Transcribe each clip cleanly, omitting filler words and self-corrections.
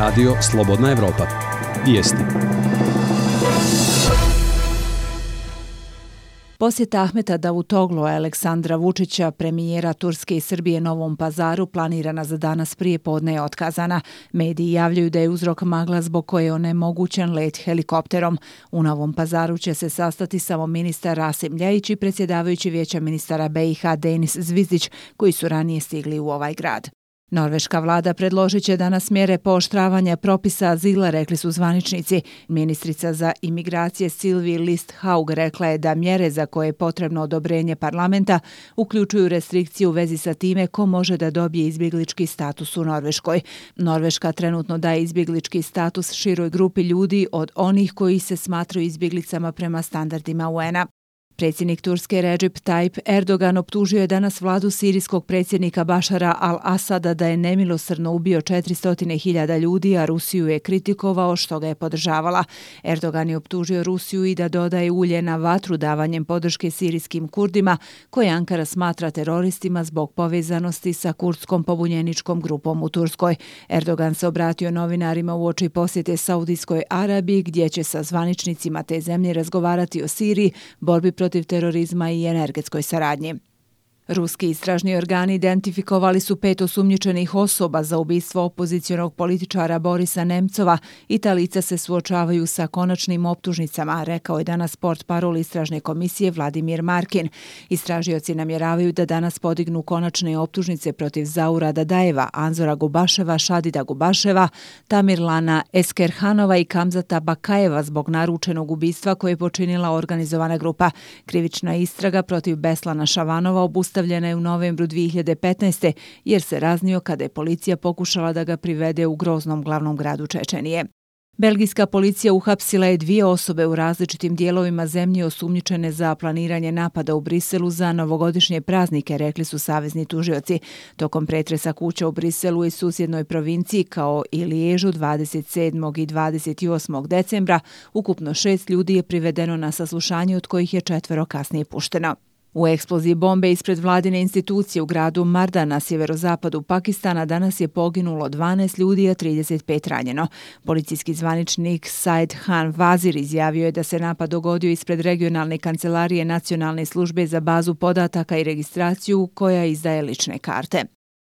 Radio Slobodna Evropa. Vijesti. Posjeta Ahmeta Davutoglu, Aleksandra Vučića, premijera Turske i Srbije Novom Pazaru, planirana za danas prije podne je otkazana. Mediji javljaju da je uzrok magla zbog koje je onemogućen let helikopterom. U Novom Pazaru će se sastati samo ministar Rasim Ljajić i predsjedavajući Vijeća ministara BiH Denis Zvizdić, koji su ranije stigli u ovaj grad. Norveška vlada predložit će danas mjere pooštravanja propisa azila, rekli su zvaničnici. Ministrica za imigracije Sylvie Listhaug rekla je da mjere za koje je potrebno odobrenje parlamenta uključuju restrikcije u vezi sa time ko može da dobije izbjeglički status u Norveškoj. Norveška trenutno daje izbjeglički status široj grupi ljudi od onih koji se smatraju izbjeglicama prema standardima UN-a. Predsjednik Turske Recep Tayyip Erdogan optužio je danas vladu sirijskog predsjednika Bašara al-Asada da je nemilosrdno ubio 400.000 ljudi, a Rusiju je kritikovao što ga je podržavala. Erdogan je optužio Rusiju i da dodaje ulje na vatru davanjem podrške sirijskim Kurdima, koje Ankara smatra teroristima zbog povezanosti sa kurdskom pobunjeničkom grupom u Turskoj. Erdogan se obratio novinarima uoči posjete Saudijskoj Arabiji, gdje će sa zvaničnicima te zemlje razgovarati o Siriji, borbi protiv terorizma i energetskoj saradnji. Ruski istražni organi identifikovali su 5 osumnjičenih osoba za ubistvo opozicionog političara Borisa Nemcova i ta lica se suočavaju sa konačnim optužnicama, rekao je danas portparol istražne komisije Vladimir Markin. Istražioci namjeravaju da danas podignu konačne optužnice protiv Zaura Dadajeva, Anzora Gubaševa, Šadida Gubaševa, Tamirlana Eskerhanova i Kamzata Bakajeva zbog naručenog ubistva koje je počinila organizovana grupa. Krivična istraga protiv Beslana Šavanova obustavljena je u novembru 2015. jer se raznio kada je policija pokušala da ga privede u groznom glavnom gradu Čečenije. Belgijska policija uhapsila je 2 osobe u različitim dijelovima zemlje osumnjičene za planiranje napada u Briselu za novogodišnje praznike, rekli su savezni tužioci. Tokom pretresa kuća u Briselu i susjednoj provinciji kao i Liježu 27. i 28. decembra ukupno 6 ljudi je privedeno na saslušanje, od kojih je 4 kasnije pušteno. U eksploziji bombe ispred vladine institucije u gradu Marda na sjeverozapadu Pakistana danas je poginulo 12 ljudi, a 35 ranjeno. Policijski zvaničnik Said Khan Vazir izjavio je da se napad dogodio ispred regionalne kancelarije Nacionalne službe za bazu podataka i registraciju koja izdaje lične karte.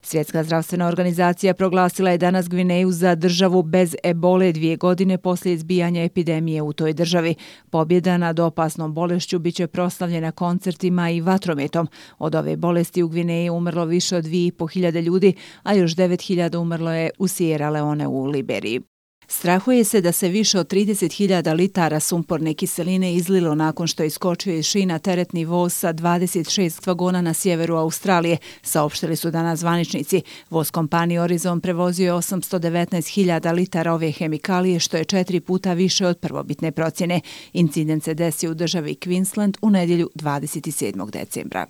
Svjetska zdravstvena organizacija proglasila je danas Gvineju za državu bez ebole 2 godine poslije izbijanja epidemije u toj državi. Pobjeda nad opasnom bolešću biće proslavljena koncertima i vatrometom. Od ove bolesti u Gvineji umrlo više od 2.500 ljudi, a još 9.000 umrlo je u Sierra Leone u Liberiji. Strahuje se da se više od 30.000 litara sumporne kiseline izlilo nakon što je iskočio iz šina teretni voz sa 26 vagona na sjeveru Australije, saopštili su danas zvaničnici. Voz kompanije Horizon prevozio je 819.000 litara ove hemikalije, što je 4 puta više od prvobitne procjene. Incident se desio u državi Queensland u nedjelju 27. decembra.